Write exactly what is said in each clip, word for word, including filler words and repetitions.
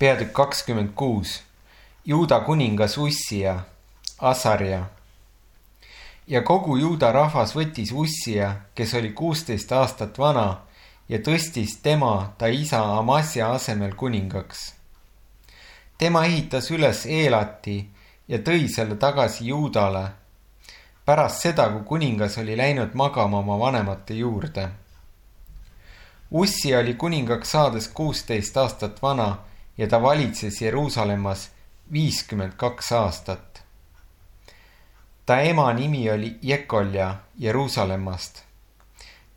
Peatükk kakskümmend kuus. Juuda kuningas Ussia, Asarja. Ja kogu Juuda rahvas võttis Ussia, kes oli kuusteist aastat vana, ja tõstis tema ta isa Amasja asemel kuningaks. Tema ehitas üles Eelati ja tõi selle tagasi Juudale, pärast seda, kui kuningas oli läinud magama oma vanemate juurde. Ussia oli kuningaks saades kuusteist aastat vana ja ta valitses Jeruusalemmas viiskümmend kaks aastat. Ta ema nimi oli Jekolja Jeruusalemmast.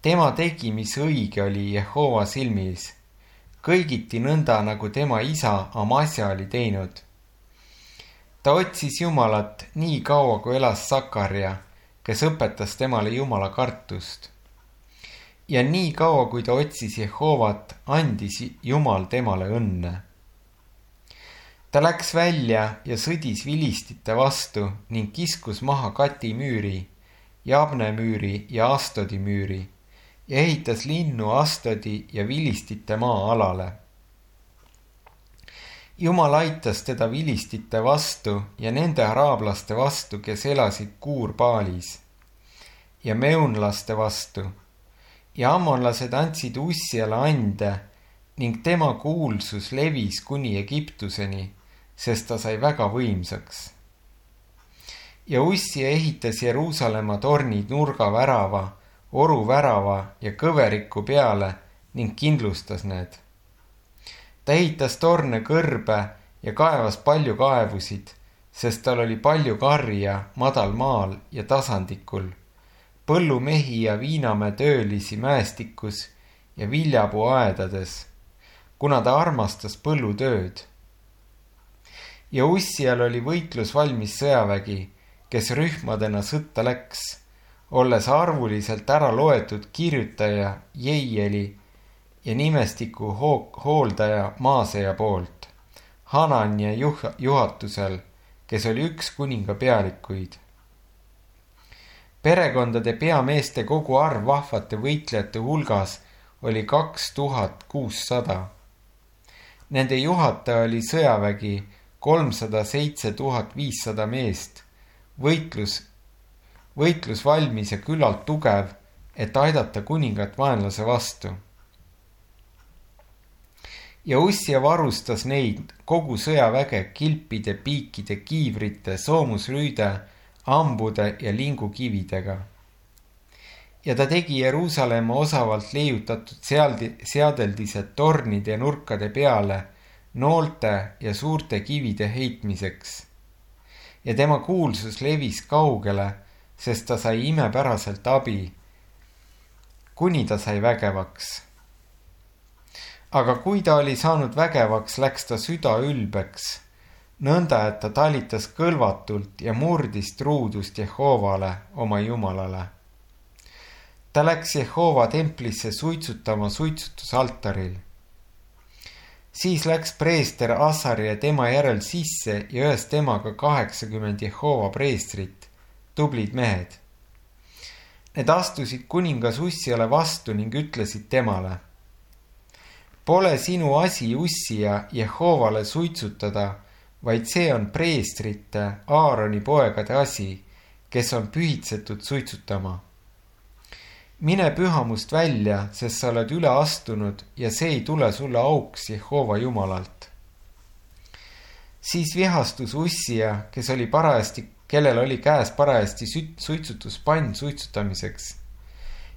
Tema tegi, mis õige oli Jehova silmis, kõigiti nõnda, nagu tema isa Amasja oli teinud. Ta otsis Jumalat nii kaua, kui elas Sakarja, kes õpetas temale Jumala kartust. Ja nii kaua, kui ta otsis Jehovat, andis Jumal temale õnne. Ta läks välja ja sõdis vilistite vastu ning kiskus maha Kati müüri, Jabne müüri ja Astodi müüri ja ehitas linnu Astodi ja vilistite maa-alale. Jumal aitas teda vilistite vastu ja nende araablaste vastu, kes elasid Kuurbaalis, ja meunlaste vastu, ja ammonlased andsid Ussiale ande ning tema kuulsus levis kuni Egiptuseni, sest ta sai väga võimsaks. Ja Ussia ehitas Jeruusalemma tornid nurgavärava, oruvärava ja kõveriku peale ning kindlustas need. Ta ehitas torne kõrbe ja kaevas palju kaevusid, sest tal oli palju karja madal maal ja tasandikul, põllumehi ja viinamäe töölisi mäestikus ja viljapuu aedades, kuna ta armastas põllutööd. Ja Ussial oli võitlus valmis sõjavägi, kes rühmadena sõtta läks, olles arvuliselt ära loetud kirjutaja Jeieli ja nimestiku hooldaja Maaseja poolt, Hanania juh- juhatusel, kes oli üks kuninga pealikuid. Perekondade peameeste kogu arv vahvate võitlejate hulgas oli kaks tuhat kuussada. Nende juhataja oli sõjavägi kolmsada seitse tuhat viissada meest, võitlus, võitlus valmis ja küllalt tugev, et aidata kuningat vaenlase vastu. Ja Ussia varustas neid kogu sõjaväge kilpide, piikide, kiivrite, soomusrüüde, ambude ja lingukividega. Ja ta tegi Jeruusalemma osavalt leiutatud seadeldised tornide ja nurkade peale noolte ja suurte kivide heitmiseks. Ja tema kuulsus levis kaugele, sest ta sai imepäraselt abi, kuni ta sai vägevaks. Aga kui ta oli saanud vägevaks, läks ta süda ülbeks, nõnda, et ta talitas kõlvatult ja murdis truudust Jehovale, oma Jumalale. Ta läks Jehova templisse suitsutama suitsutusaltaril. Siis läks preester Asarja tema järel sisse ja öös temaga kaheksakümmend Jehova preestrit, tublid mehed. Need astusid kuningas Ussiale vastu ning ütlesid temale: Pole sinu asi Ussia Jehovale suitsutada, vaid see on preestrite Aaroni poegade asi, kes on pühitsetud suitsutama. Mine pühamust välja, sest sa oled üle astunud ja see ei tule sulle auks Jehova Jumalalt. Siis vihastus Ussia, kes oli parajasti, kellel oli käes parajasti suitsutuspann suitsutamiseks.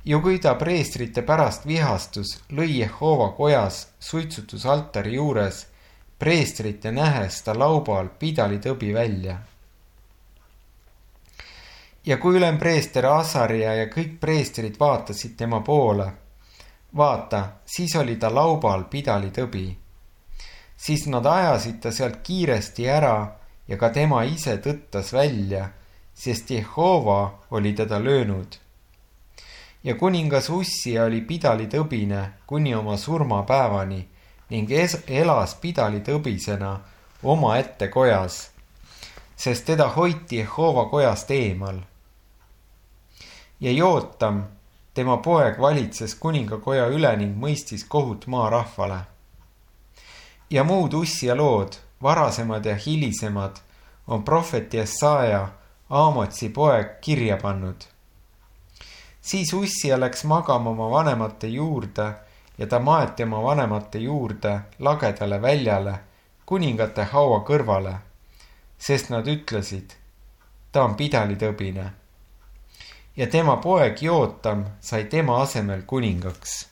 Ja kui ta preestrite pärast vihastus, lõi Jehova kojas suitsutusaltari juures preestrite nähes ta laubal pidalitõbi välja. Ja kui ülempreester Asarja ja kõik preestrid vaatasid tema poole, vaata, siis oli ta laubal pidalitõbi. Siis nad ajasid ta sealt kiiresti ära ja ka tema ise tõttas välja, sest Jehova oli teda löönud. Ja kuningas Ussia oli pidalitõbine kuni oma surmapäevani ning elas pidalitõbisena oma ette kojas, sest teda hoiti Jehova kojast eemal. Ja Jootam, tema poeg, valitses kuningakoja üle ning mõistis kohut maa rahvale. ja muud Ussia lood, varasemad ja hilisemad, on prohvet Jesaja, Aamotsi poeg, kirja pannud. Siis Ussia läks magama oma vanemate juurde ja ta maeti oma vanemate juurde lagedale väljale, kuningate haua kõrvale, sest nad ütlesid, ta on pidalitõbine. Ja tema poeg Jootam sai tema asemel kuningaks.